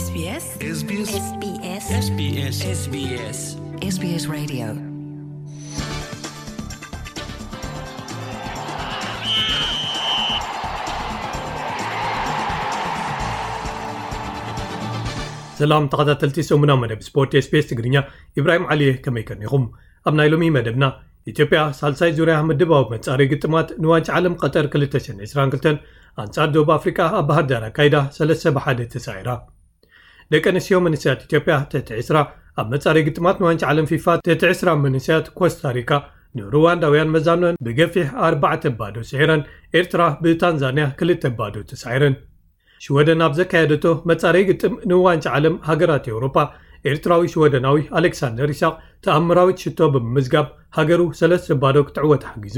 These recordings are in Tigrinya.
SBS SBS SBS SBS SBS SBS Radio. ሰላም ተኸታተልቲ ሰሙና መደብ ስፖርት SBS ትግርኛ፣ ኢብራሂም ዓሊ እየ። ከመይ ከኒኹም? ኣብ ናይ ሎሚ መደብና፣ ኢትዮጵያ ሳልሳይ ዙርያ ምድባዊ መጻረይ ግጥማት ንዋንጫ ዓለም ቀጠር ክልተ ሽሕን ዕስራን ክልተን ኣንጻር ደቡብ ኣፍሪቃ ኣብ ባህር ዳር ኣካይዳ ሰለስተ ብሓደ ተሳዒራ። ደቂ ኣንስትዮ መንእሰያት ኢትዮጵያ ትሕቲ ዕስራ ኣብ መጻረይ ግጥማት ንዋንጫ ዓለም ፊፋ ትሕቲ ዕስራ መንእሰያት ኮስታሪካ ንሩዋንዳውያን መዛኖን ብገፊሕ ኣርባዕተ ባዶ ስዒረን፣ ኤርትራ ብታንዛንያ ክልተ ባዶ ተሳዒረን። ሽወደን ኣብ ዘካየደቶ መጻረይ ግጥም ንዋንጫ ዓለም ሃገራት ኤውሮጳ፣ ኤርትራዊ ሽወደናዊ ኣሌክሳንደር ኢሳቕ ተኣምራዊት ሽቶ ብምምዝጋብ ሃገሩ ሰለስተ ባዶ ክትዕወት ሓጊዙ።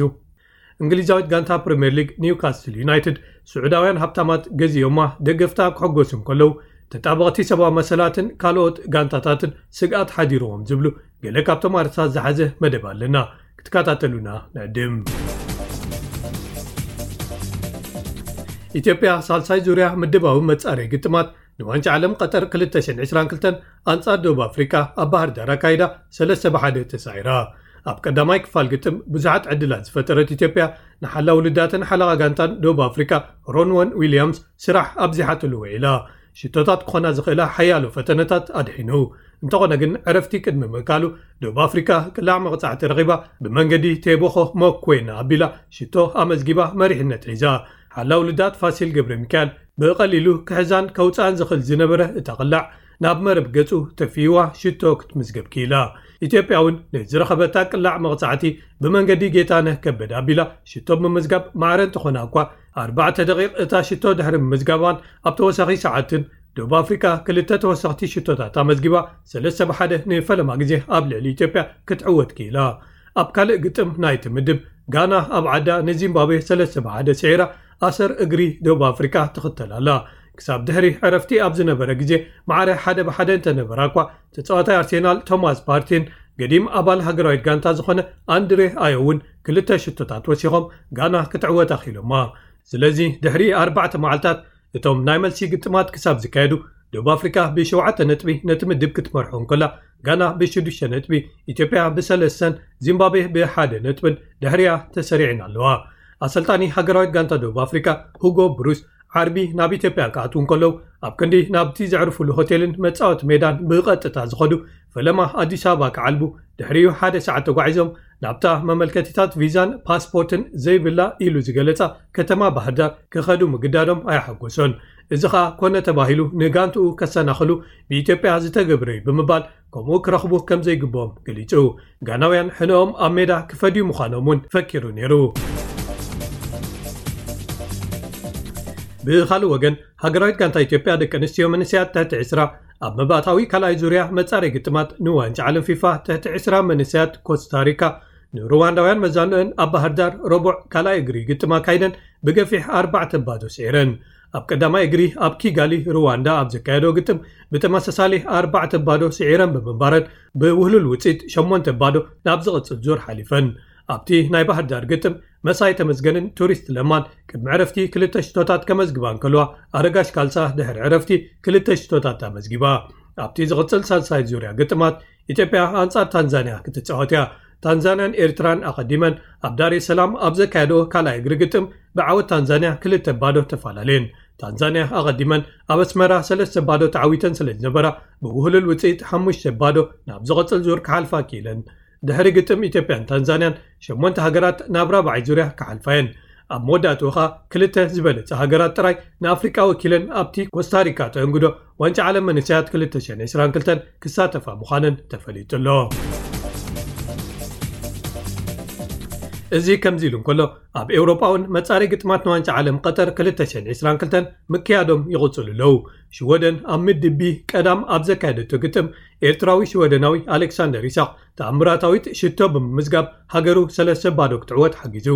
እንግሊዛዊት ጋንታ ፕሪምየር ሊግ ኒውካስትል ዩናይትድ፣ ስዑዳውያን ሃብታማት ገዚኦማ ደገፍታ ክሕጎሱ እንከለዉ፣ ተጣበቕቲ ሰብኣዊ መሰላትን ካልኦት ጋንታታትን ስግኣት ሓዲርዎም ዝብሉ ገለ ካብቶም ኣርእስታት ዝሓዘ መደብ ኣለና። ክትከታተሉና ንዕድም። ኢትዮጵያ ሳልሳይ ዙርያ ምድባዊ መጻረይ ግጥማት ንዋንጫ ዓለም ቀጠር ክልተ ሽሕን ዕስራን ክልተን ኣንጻር ደቡብ ኣፍሪቃ ኣብ ባህር ዳር ኣካይዳ ሰለስተ ብሓደ ተሳዒራ። ኣብ ቀዳማይ ክፋል ግጥም ብዙሓት ዕድላት ዝፈጠረት ኢትዮጵያ፣ ንሓላው ውልዳትን ሓለቓ ጋንታን ደቡብ ኣፍሪቃ ሮንወን ዊልያምስ ስራሕ ኣብዚሓትሉ ውዒላ። ሽቶታት ክኾና ዝኽእላ ሓያሎ ፈተነታት ኣድሒኑ። እንተኾነ ግን፣ ዕረፍቲ ቅድሚ ምእካሉ ደቡብ ኣፍሪቃ ቅላዕ መቕጻዕቲ ረኺባ፣ ብመንገዲ ቴቦኾ ሞኮና ኣቢላ ሽቶ ኣመዝጊባ መሪሕነት ሒዛ። ሓላው ውልዳት ፋሲል ገብረ ሚካኤል ብቐሊሉ ክሕዛን ከውጽኣን ዝኽእል ዝነበረ እታ ቅላዕ፣ ናብ መረብ ገጹ ተፊዋ ሽቶ ክትምዝገብ ክኢላ። ኢትዮጵያ እውን ንዝረኸበታ ቅላዕ መቕጻዕቲ ብመንገዲ ጌታነህ ከበደ ኣቢላ ሽቶ ብምምዝጋብ ማዕረ እንተኾና እኳ፣ ኣርባዕተ ደቂቕ እታ ሽቶ ድሕሪ ምምዝጋባን ኣብ ተወሳኺ ሰዓትን፣ ደቡብ ኣፍሪቃ ክልተ ተወሰኽቲ ሽቶታት ኣመዝጊባ፣ ሰለስተ ብሓደ ንፈለማ ግዜ ኣብ ልዕሊ ኢትዮጵያ ክትዕወት ክኢላ። ኣብ ካልእ ግጥም ናይቲ ምድብ፣ ጋና ኣብ ዓዳ ንዚምባብዌ ሰለስተ ብሓደ ስዒራ፣ ኣሰር እግሪ ደቡብ ኣፍሪቃ ትኽተል ኣላ። ክሳብ ድሕሪ ዕረፍቲ ኣብ ዝነበረ ግዜ፣ ማዕረ ሓደ ብሓደ እንተነበራ እኳ፣ ተጻዋታይ ኣርሴናል ቶማስ ፓርቲን ገዲም ኣባል ሃገራዊት ጋንታ ዝኾነ ኣንድሬ ኣዮ እውን ክልተ ሽቶታት ወሲኾም፣ ጋና ክትዕወት ኣኽኢሎማ። ስለዚ፣ ድሕሪ ኣርባዕተ መዓልታት፣ እቶም ናይ መልሲ ግጥማት ክሳብ ዝካየዱ፣ ደቡብ ኣፍሪቃ ብሸውዓተ ነጥቢ ነቲ ምድብ ክትመርሖ እንከላ፣ ጋና ብሽዱሽተ ነጥቢ፣ ኢትዮጵያ ብሰለስተን፣ ዚምባብዌ ብሓደ ነጥብን ድሕሪኣ ተሰሪዐን ኣለዋ። ኣሰልጣኒ ሃገራዊት ጋንታ ደቡብ ኣፍሪቃ፣ ሁጎ ብሩስ፣ ዓርቢ ናብ ኢትዮጵያ ክኣትዉ እንከለዉ፣ ኣብ ክንዲ ናብቲ ዘዕርፉሉ ሆቴልን መጻወቲ ሜዳን ብቐጥታ ዝኸዱ፣ ፈለማ ኣዲስ ኣበባ ክዓልቡ፣ ድሕሪኡ ሓደ ሰዓት ተጓዒዞም፣ ናብታ መመልከቲታት ቪዛን ፓስፖርትን ዘይብላ ኢሉ ዝገለጻ ከተማ ባህር ዳር ክኸዱ ምግዳዶም ኣየሓጎሶን። እዚ ኸኣ ኮነ ተባሂሉ ንጋንትኡ ከሰናኽሉ ብኢትዮጵያ ዝተገብረ እዩ ብምባል፣ ከምኡ ክረኽቡ ከም ዘይግብኦም ገሊጹ። ጋናውያን ሕነኦም ኣብ ሜዳ ክፈድዩ ምዃኖም እውን ፈኪሩ ነይሩ። ብኻልእ ወገን፣ ሃገራዊት ጋንታ ኢትዮጵያ ደቂ ኣንስትዮ መንእሰያት ትሕቲ ዕስራ ኣብ መባእታዊ ካልኣይ ዙርያ መጻረይ ግጥማት ንዋንጫ ዓለም ፊፋ ትሕቲ ዕስራ መንእሰያት ኮስታሪካ ንሩዋንዳውያን መዛንኦን ኣብ ባህር ዳር ረቡዕ ካልኣይ እግሪ ግጥም ኣካይደን ብገፊሕ ኣርባዕተ ባዶ ስዒረን። ኣብ ቀዳማይ እግሪ ኣብ ኪጋሊ ሩዋንዳ ኣብ ዘካየዶ ግጥም ብተመሳሳሊ ኣርባዕተ ባዶ ስዒረን ብምንባረን ብውህሉል ውጽኢት ሸሞንተ ባዶ ናብ ዝቕጽል ዙር ሓሊፈን። ኣብቲ ናይ ባህር ዳር ግጥም መሳይ ተመስገንን ቱሪስት ለማን ቅድሚ ዕረፍቲ ክልተ ሽቶታት ከመዝግባ እንከለዋ፣ ኣረጋሽ ካልሳ ድሕሪ ዕረፍቲ ክልተ ሽቶታት ኣመዝጊባ። ኣብቲ ዝቕጽል ሳልሳይ ዙርያ ግጥማት ኢትዮጵያ ኣንጻር ታንዛንያ ክትጻወት እያ። ታንዛንያን ኤርትራን ኣቐዲመን ኣብ ዳሬ ሰላም ኣብ ዘካየዶ ካልኣይ እግሪ ግጥም ብዓወት ታንዛንያ ክልተ ባዶ ተፈላለየን። ታንዛንያ ኣቐዲመን ኣብ ኣስመራ ሰለስተ ባዶ ተዓዊተን ስለ ዝነበራ ብውህሉል ውጽኢት ሓሙሽተ ባዶ ናብ ዝቕጽል ዙር ክሓልፋ ክኢለን። ድሕሪ ግጥም ኢትዮጵያን ታንዛንያን ሸሞንተ ሃገራት ናብ ራብዓይ ዙርያ ክሓልፋ እየን። ኣብ መወዳእትኡ ኸኣ ክልተ ዝበለጸ ሃገራት ጥራይ ንኣፍሪቃ ወኪለን ኣብቲ ኮስታሪካ ተእንግዶ ዋንጫ ዓለም መንእሰያት ክልተ ሽሕን ዕስራን ክልተን ክሳተፋ ምዃነን ተፈሊጡ ኣሎ። እዚ ከምዚ ኢሉ እንከሎ፣ ኣብ ኤውሮጳ እውን መጻረይ ግጥማት ንዋንጫ ዓለም ቀጠር ክልተ ሽሕን ዕስራን ክልተን ምክያዶም ይቕጽሉ ኣለዉ። ሽወደን ኣብ ምድብ ቢ ቀዳም ኣብ ዘካየደቶ ግጥም፣ ኤርትራዊ ሽወደናዊ ኣሌክሳንደር ኢሳቕ ተኣምራታዊት ሽቶ ብምምዝጋብ ሃገሩ ሰለስተ ባዶ ክትዕወት ሓጊዙ።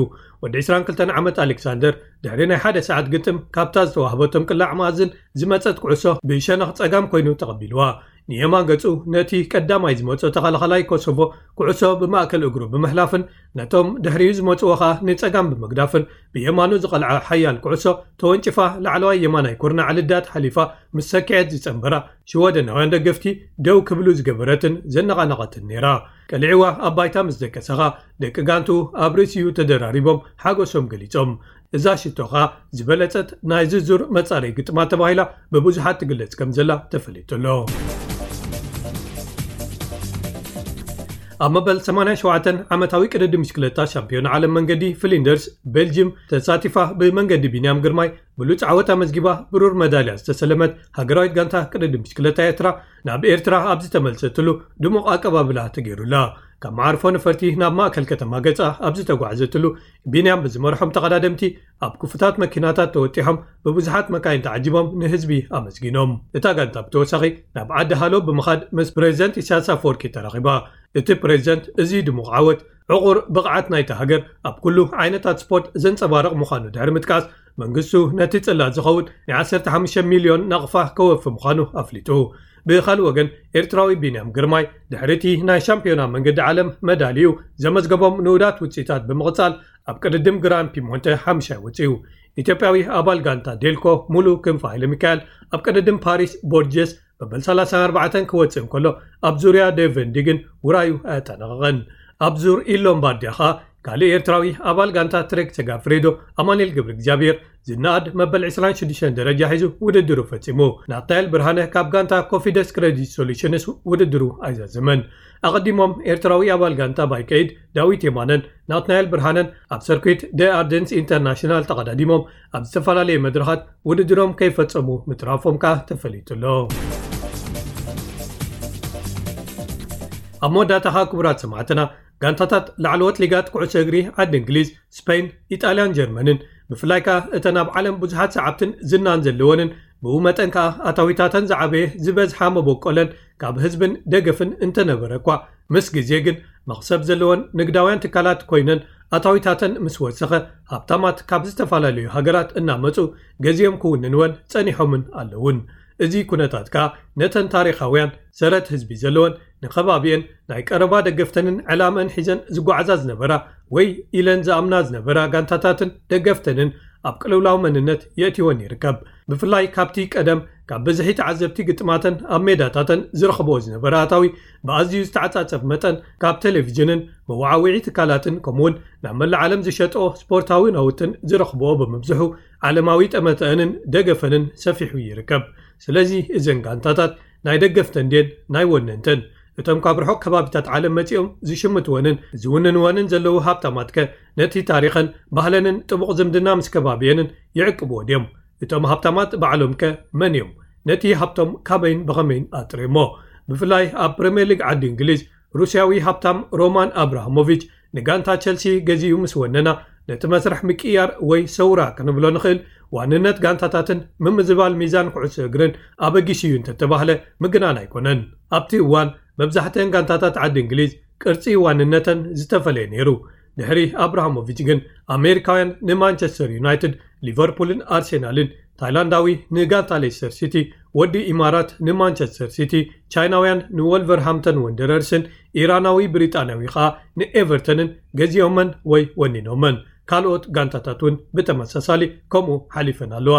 ወዲ ዕስራን ክልተን ዓመት ኣሌክሳንደር ድሕሪ ናይ ሓደ ሰዓት ግጥም ካብታ ዝተዋህበቶም ቅላዕ መኣዝን ዝመጸት ኩዕሶ ብሸነኽ ጸጋም ኮይኑ ተቐቢልዋ። ንየማን ገጹ ነቲ ቀዳማይ ዝመጾ ተኸላኸላይ ኮሶቮ ኩዕሶ ብማእከል እግሩ ብምሕላፍን ነቶም ድሕሪኡ ዝመጽዎ ኸኣ ንጸጋም ብምግዳፍን ብየማኑ ዝቐልዐ ሓያል ኩዕሶ ተወንጭፋ ላዕለዋይ የማናይ ኩርናዕ ልዳት ሓሊፋ ምስ ሰኪዐት ዝጸንበራ ሽወደናውያን ደገፍቲ ደው ክብሉ ዝገበረትን ዘነቓነቐትን ነይራ። ቀሊዕዋ ኣብ ባይታ ምስ ደቀሰኻ ደቂ ጋንቱ ኣብ ርእሲኡ ተደራሪቦም ሓጎሶም ገሊጾም። እዛ ሽቶ ኸኣ ዝበለጸት ናይ ዝዙር መጻረይ ግጥማት ተባሂላ ብብዙሓት ትግለጽ ከም ዘላ ተፈሊጡ ኣሎ። ኣብ መበል ሰማንያን ሸውዓተን ዓመታዊ ቅድድም ብሽክለታ ሻምፒዮን ዓለም መንገዲ ፍሊንደርስ ቤልጅም ተሳቲፋ ብመንገዲ ቢንያም ግርማይ ብሉጽ ዓወት ኣመዝጊባ ብሩር መዳልያ ዝተሰለመት ሃገራዊት ጋንታ ቅድድም ብሽክለታ ኤርትራ ናብ ኤርትራ ኣብ ዝተመልሰትሉ ድሙቕ ኣቀባብላ ተገይሩላ። ካብ መዓርፎ ነፈርቲ ናብ ማእከል ከተማ ገጻ ኣብ ዝተጓዕዘትሉ ቢንያም ብዝመርሖም ተቐዳደምቲ ኣብ ክፉታት መኪናታት ተወጢሖም ብብዙሓት መካይን ተዓጂቦም ንህዝቢ ኣመስጊኖም። እታ ጋንታ ብተወሳኺ ናብ ዓዲ ሃሎ ብምኻድ ምስ ፕሬዚደንት ኢሳያስ ኣፈወርቂ ተራኺባ። እቲ ፕሬዚደንት እዚ ድሙቕ ዓወት ዕቑር ብቕዓት ናይቲ ሃገር ኣብ ኩሉ ዓይነታት ስፖርት ዘንጸባርቕ ምዃኑ ድሕሪ ምጥቃስ መንግስቱ ነቲ ጽላት ዝኸውን ናይ ዓሰርተ ሓሙሽተ ሚልዮን ናቕፋ ከወፊ ምዃኑ ኣፍሊጡ። ብኻልእ ወገን ኤርትራዊ ቢንያም ግርማይ ድሕሪ እቲ ናይ ሻምፒዮና መንገዲ ዓለም መዳልዩ ዘመዝገቦም ንኡዳት ውጽኢታት ብምቕጻል ኣብ ቅድድም ግራን ፒሞንተ ሓምሻይ ወጺኡ። ኢትዮጵያዊ ኣባል ጋንታ ዴልኮ ሙሉ ክንፈ ሃይለ ሚካኤል ኣብ ቅድድም ፓሪስ ቦርጀስ መበል ሰላሳን ኣርባዕተን ክወጽእ እንከሎ ኣብ ዙርያ ዴቨንዲ ግን ውራዩ ኣያጠናቐቐን። ኣብ ዙር ኢሎምባርዲያ ኸኣ ካልእ ኤርትራዊ ኣባል ጋንታ ትሬክ ሰጋፍሬዶ ኣማኑኤል ገብረ እግዚኣብሔር ዝነኣድ መበል ዕስራን ሽዱሽተን ደረጃ ሒዙ ውድድሩ ፈጺሙ። ናትናኤል ብርሃነ ካብ ጋንታ ኮፊደስ ክረዲት ሶሉሽንስ ውድድሩ ኣይዛዘመን። ኣቐዲሞም ኤርትራዊ ኣባል ጋንታ ባይከይድ ዳዊት የማነን ናትናኤል ብርሃነን ኣብ ሰርኩት ደ ኣርደንስ ኢንተርናሽናል ተቐዳዲሞም ኣብ ዝተፈላለየ መድረኻት ውድድሮም ከይፈጸሙ ምትራፎም ከኣ ተፈሊጡ ኣሎ። ኣብ መወዳእታ ኸኣ ክቡራት ሰማዕትና ጋንታታት ላዕለዎት ሊጋት ኩዕሶ እግሪ ዓዲ እንግሊዝ፣ ስፔን፣ ኢጣልያን ጀርመንን ብፍላይ ከኣ እተን ኣብ ዓለም ብዙሓት ሰዓብትን ዝናን ዘለወንን ብኡ መጠን ከኣ ኣታዊታተን ዝዓበየ ዝበዝሓ መበቆለን ካብ ህዝብን ደገፍን እንተነበረ እኳ ምስ ግዜ ግን መኽሰብ ዘለወን ንግዳውያን ትካላት ኮይነን ኣታዊታተን ምስ ወሰኸ ሃብታማት ካብ ዝተፈላለዩ ሃገራት እናመጹ ገዚኦም ክውንንወን ጸኒሖምን ኣለውን። እዚ ኩነታት ከኣ ነተን ታሪኻውያን ሰረት ህዝቢ ዘለወን ንኸባቢኤን ናይ ቀረባ ደገፍተንን ዕላመን ሒዘን ዝጓዓዛ ዝነበራ ወይ ኢለን ዝኣምና ዝነበራ ጋንታታትን ደገፍተንን ኣብ ቅልውላው መንነት የእትወን ይርከብ። ብፍላይ ካብቲ ቀደም ካብ ብዝሒ ተዓዘብቲ ግጥማተን ኣብ ሜዳታተን ዝረኽብኦ ዝነበረ ኣታዊ ብኣዝዩ ዝተዓጻጸፍ መጠን ካብ ቴሌቪዥንን መወዓውዒ ትካላትን ከምኡውን ናብ መላእ ዓለም ዝሸጥኦ ስፖርታዊ ናውትን ዝረኽብኦ ብምብዝሑ ዓለማዊ ጠመተአንን ደገፈንን ሰፊሑ ይርከብ። ስለዚ እዘን ጋንታታት ናይ ደገፍተን ድየን ናይ ወነንተን? እቶም ካብ ርሑቕ ከባቢታት ዓለም መጺኦም ዝሽምትወንን ዝውንንወንን ዘለዉ ሃብታማትከ ነቲ ታሪኸን ባህለንን ጥቡቕ ዝምድና ምስ ከባቢየንን ይዕቅብዎ ድዮም? እቶም ሃብታማት ባዕሎምከ መን እዮም? ነቲ ሃብቶም ካበይን ብኸመይን ኣጥርዮሞ? ብፍላይ ኣብ ፕሪምየር ሊግ ዓዲ እንግሊዝ ሩስያዊ ሃብታም ሮማን ኣብራሃሞቪች ንጋንታ ቸልሲ ገዚኡ ምስ ወነና ነቲ መስርሕ ምቅያር ወይ ሰውራ ክንብሎ ንኽእል ዋንነት ጋንታታትን ምምዝባል ሚዛን ኩዕሶ እግርን ኣበጊሱ እዩ እንተተባህለ ምግናን ኣይኮነን። ኣብቲ እዋን መብዛሕትአን ጋንታታት ዓዲ እንግሊዝ ቅርጺ ዋንነተን ዝተፈለየ ነይሩ። ድሕሪ ኣብራሃሞቪች ግን ኣሜሪካውያን ንማንቸስተር ዩናይትድ፣ ሊቨርፑልን ኣርሴናልን፣ ታይላንዳዊ ንጋንታ ሌስተር ሲቲ፣ ወዲ ኢማራት ንማንቸስተር ሲቲ፣ ቻይናውያን ንወልቨርሃምተን ወንደረርስን ኢራናዊ ብሪጣንያዊ ኸኣ ንኤቨርተንን ገዚኦመን ወይ ወኒኖመን። ካልኦት ጋንታታት እውን ብተመሳሳሊ ከምኡ ሓሊፈን ኣለዋ።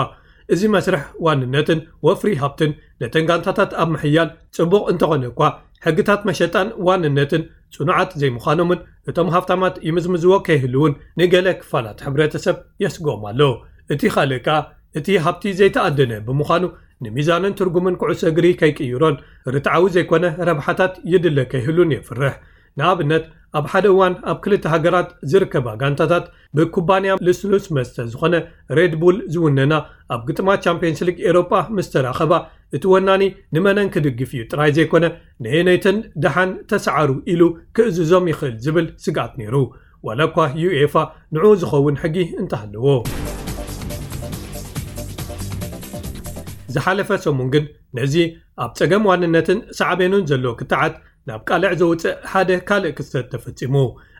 እዚ መስርሕ ዋንነትን ወፍሪ ሃብትን ነተን ጋንታታት ኣብ ምሕያል ጽቡቕ እንተኾነ እኳ ሕግታት መሸጣን ዋንነትን ጽኑዓት ዘይምዃኖምን እቶም ሃብታማት ይምዝምዝዎ ከይህልውን ንገለ ክፋላት ሕብረተሰብ የስግኦም ኣሎ። እቲ ካልእ ከኣ እቲ ሃብቲ ዘይተኣደነ ብምዃኑ ንሚዛንን ትርጉምን ኩዕሶ እግሪ ከይቅይሮን ርትዓዊ ዘይኮነ ረብሓታት ይድለ ከይህሉን የፍርሕ። ንኣብነት ኣብ ሓደ እዋን ኣብ ክልተ ሃገራት ዝርከባ ጋንታታት ብኩባንያ ልስሉስ መስተ ዝኾነ ሬድ ቡል ዝውነና ኣብ ግጥማት ቻምፒየንስ ሊግ ኤሮጳ ምስ ተራኸባ እቲ ወናኒ ንመነን ክድግፍ እዩ ጥራይ ዘይኮነ ነየነይተን ደሓን ተሰዓሩ ኢሉ ክእዝዞም ይኽእል ዝብል ስግኣት ነይሩ። ዋላ እኳ ዩኤፋ ንዕኡ ዝኸውን ሕጊ እንተሃለዎ። ዝሓለፈ ሰሙን ግን ነዚ ኣብ ጸገም ዋንነትን ሳዕቤኑን ዘሎ ክትዓት ናብ ቃልዕ ዘውጽእ ሓደ ካልእ ክስተት ተፈጺሙ።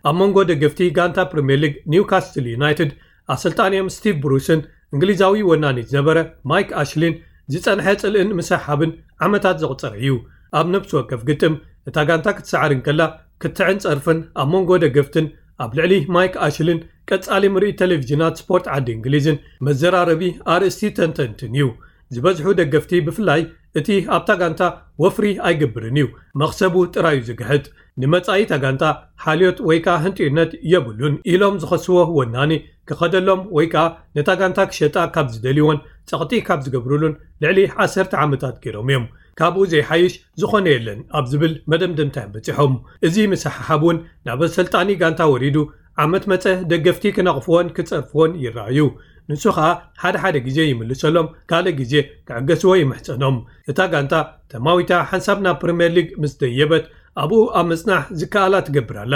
ኣብ መንጎ ደገፍቲ ጋንታ ፕሪምየር ሊግ ኒውካስትል ዩናይትድ ኣሰልጣኒኦም ስቲቭ ብሩስን እንግሊዛዊ ወናኒ ዝነበረ ማይክ ኣሽሊን ዝጸንሐ ጽልእን ምስሕሓብን ዓመታት ዘቑጸረ እዩ። ኣብ ነፍሲ ወከፍ ግጥም እታ ጋንታ ክትሰዓር እንከላ ክትዕን ጸርፍን ኣብ መንጎ ደገፍትን ኣብ ልዕሊ ማይክ ኣሽልን ቀጻሊ ምርኢት ቴሌቪዥናት ስፖርት ዓዲ እንግሊዝን መዘራረቢ ኣርእስቲ ተንተንትን እዩ። ዝበዝሑ ደገፍቲ ብፍላይ እቲ ኣብታ ጋንታ ወፍሪ ኣይገብርን እዩ፣ መኽሰቡ ጥራዩ ዝግሕጥ። ንመጻኢታ ጋንታ ሓልዮት ወይ ከኣ ህንጥዩነት የብሉን ኢሎም ዝኸስዎ ወናኒ ክኸደሎም ወይ ከኣ ነታ ጋንታ ክሸጣ ካብ ዝደልይዎን ጸቕጢ ካብ ዝገብሩሉን ልዕሊ ዓሰርተ ዓመታት ገይሮም እዮም። ካብኡ ዘይሓይሽ ዝኾነ የለን ኣብ ዝብል መደምደምታ እዮም በጺሖም። እዚ ምስሕሓብ እውን ናብ ኣሰልጣኒ ጋንታ ወሪዱ ዓመት መጸ ደገፍቲ ክነቕፍዎን ክጸርፍዎን ይረኣዩ። ንሱ ኸኣ ሓደ ሓደ ግዜ ይምልሰሎም፣ ካልእ ግዜ ክዕገስዎ ይምሕጸኖም። እታ ጋንታ ተማዊታ ሓንሳብ ናብ ፕሪምየር ሊግ ምስ ደየበት ኣብኡ ኣብ ምጽናሕ ዝከኣላ ትገብር ኣላ።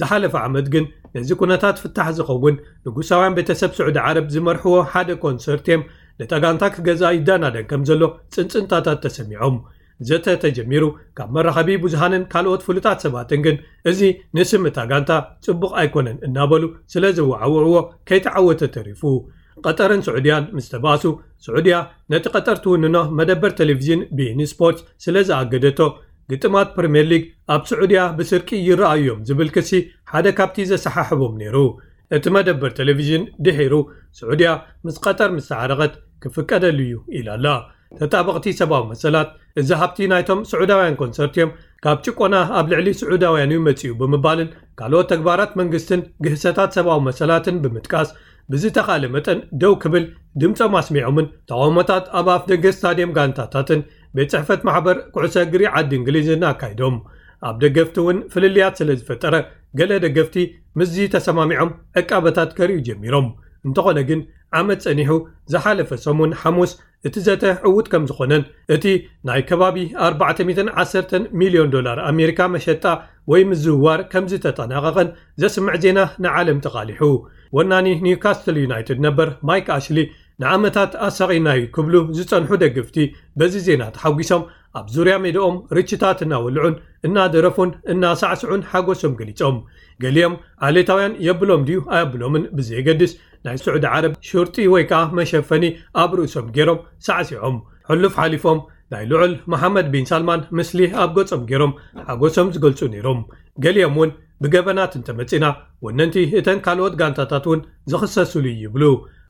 ዝሓለፈ ዓመት ግን ነዚ ኩነታት ፍታሕ ዝኸውን ንጉሳውያን ቤተሰብ ስዑዲ ዓረብ ዝመርሕዎ ሓደ ኮንሰርትየም ነታ ጋንታ ክገዝኣ ይዳናደን ከም ዘሎ ጽንጽንታታት ተሰሚዖም። ዘተ ተጀሚሩ ካብ መራኸቢ ብዙሃንን ካልኦት ፍሉጣት ሰባትን ግን እዚ ንስም እታ ጋንታ ጽቡቕ ኣይኮነን እናበሉ ስለ ዘወዓውዕዎ ከይተዓወተ ተሪፉ። ቀጠርን ስዑድያን ምስ ተባእሱ፣ ስዑድያ ነቲ ቀጠር ትውንኖ መደበር ቴሌቪዥን ቢኢን ስፖርት ስለ ዝኣገደቶ፣ ግጥማት ፕሪምየር ሊግ ኣብ ስዑድያ ብስርቂ ይረኣዩ እዮም ዝብል ክሲ ሓደ ካብቲ ዘሰሓሕቦም ነይሩ። እቲ መደበር ቴሌቪዥን ድሒሩ ስዑድያ ምስ ቀጠር ምስ ተዓረቐት ክፍቀደሉ እዩ ኢላ ኣላ። ተጣበቕቲ ሰብኣዊ መሰላት፣ እዚ ሃብቲ ናይቶም ስዑዳውያን ኮንሰርት እዮም፣ ካብ ጭቆና ኣብ ልዕሊ ስዑዳውያን እዩ መጺኡ ብምባልን ካልኦት ተግባራት መንግስትን ግህሰታት ሰብኣዊ መሰላትን ብምጥቃስ ብዝተኻለ መጠን ደው ክብል ድምጾም ኣስሚዖምን ተቓውሞታት ኣብ ኣፍ ደገ ስታድየም ጋንታታትን ቤት ጽሕፈት ማሕበር ኩዕሶ እግሪ ዓዲ እንግሊዝን ኣካይዶም። ኣብ ደገፍቲ እውን ፍልልያት ስለ ዝፈጠረ ገለ ደገፍቲ ምስዚ ተሰማሚዖም ዕቃበታት ከርእዩ ጀሚሮም። እንተኾነ ግን ዓመት ጸኒሑ ዝሓለፈ ሰሙን ሓሙስ እቲ ዘተ ዕዉት ከም ዝኾነን እቲ ናይ ከባቢ ኣርባዕተ ሚእትን ዓሰርተን ሚልዮን ዶላር ኣሜሪካ መሸጣ ወይ ምዝውዋር ከም ዝተጠናቐቐን ዘስምዕ ዜና ንዓለም ተቓሊሑ። ወናኒ ኒውካስትል ዩናይትድ ነበር ማይክ ኣሽሊ ንዓመታት ኣሳቒናዩ ክብሉ ዝጸንሑ ደገፍቲ በዚ ዜና ተሓጒሶም ኣብ ዙርያ ሜዳኦም ርችታት እናወልዑን እናደረፉን እናሳዕስዑን ሓጎሶም ገሊጾም። ገሊኦም ዓሌታውያን የብሎም ድዩ ኣየብሎምን ብዘየገድስ ናይ ስዑዲ ዓረብ ሹርቲ ወይ ከኣ መሸፈኒ ኣብ ርእሶም ገይሮም ሳዕሲዖም። ሕሉፍ ሓሊፎም ናይ ልዑል መሓመድ ቢን ሳልማን ምስሊ ኣብ ገጾም ገይሮም ሓጎሶም ዝገልጹ ነይሮም። ገሊኦም እውን ብገበናት እንተመጺና ወነንቲ እተን ካልኦት ጋንታታት እውን ዝኽሰሱሉ እዩ ይብሉ።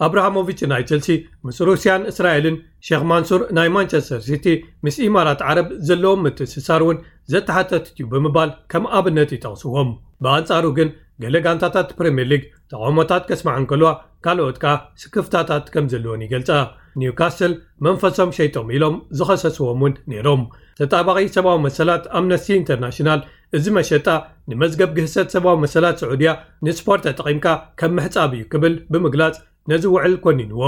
ኣብራሃሞቪች ናይ ቸልሲ ምስ ሩስያን እስራኤልን ሼክ ማንሱር ናይ ማንቸስተር ሲቲ ምስ ኢማራት ዓረብ ዘለዎም ምትእስሳር እውን ዘተሓተትት እዩ ብምባል ከም ኣብነት ይጠቕስዎም። ብኣንጻሩ ግን ገለ ጋንታታት ፕሪምየር ሊግ ተቓውሞታት ከስምዓ እንከልዋ ካልኦት ከኣ ስክፍታታት ከም ዘለወን ይገልጻ። ኒውካስል መንፈሶም ሸይጦም ኢሎም ዝኸሰስዎም እውን ነይሮም። ተጣባቒ ሰብኣዊ መሰላት ኣምነስቲ ኢንተርናሽናል እዚ መሸጣ ንመዝገብ ግህሰት ሰብኣዊ መሰላት ስዑድያ ንስፖርት ተጠቒምካ ከም ምሕጻብ እዩ ክብል ብምግላጽ ነዚ ውዕል ኮኒንዎ።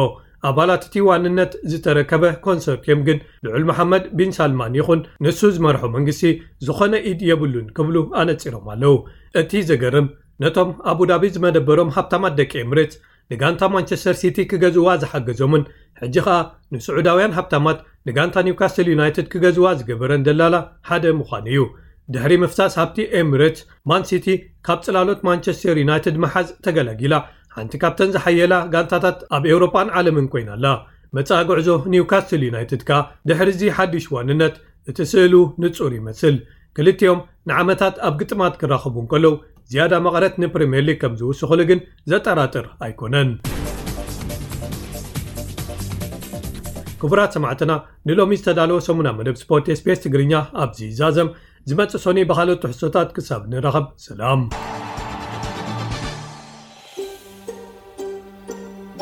ኣባላት እቲ ዋንነት ዝተረከበ ኮንሶርትየም ግን ልዑል መሓመድ ቢን ሳልማን ይኹን ንሱ ዝመርሖ መንግስቲ ዝኾነ ኢድ የብሉን ክብሉ ኣነጺሮም ኣለዉ። እቲ ዘገርም ነቶም ኣቡዳቢ ዝመደበሮም ሃብታማት ደቂ ኤምሬትስ ንጋንታ ማንቸስተር ሲቲ ክገዝዋ ዝሓገዞምን ሕጂ ኸኣ ንስዑዳውያን ሃብታማት ንጋንታ ኒውካስትል ዩናይትድ ክገዝዋ ዝገበረን ደላላ ሓደ ምዃኑ እዩ። ድሕሪ ምፍሳስ ሃብቲ ኤምሬትስ ማን ሲቲ ካብ ጽላሎት ማንቸስተር ዩናይትድ ምሓዝ ተገላጊላ ሓንቲ ካብተን ዝሓየላ ጋንታታት ኣብ ኤውሮጳን ዓለምን ኮይና ኣላ። መጻኢ ጉዕዞ ኒውካስትል ዩናይትድ ከኣ ድሕሪ እዚ ሓድሽ ዋንነት እቲ ስእሉ ንጹር ይመስል። ክልቲኦም ንዓመታት ኣብ ግጥማት ክራኸቡ እንከለዉ ዝያዳ መቐረት ንፕሪምየር ሊግ ከም ዝውስኽሉ ግን ዘጠራጥር ኣይኮነን። ክቡራት ሰማዕትና ንሎሚ ዝተዳለወ ሰሙና መደብ ስፖርት ኤስቢኤስ ትግርኛ ኣብዚ ይዛዘም። ዝመጽእ ሰኑይ ብኻልኦት ትሕዝቶታት ክሳብ ንራኸብ ሰላም።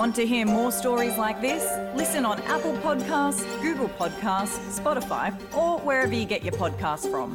Want to hear more stories like this? Listen on Apple Podcasts, Google Podcasts, Spotify, or wherever you get your podcasts from.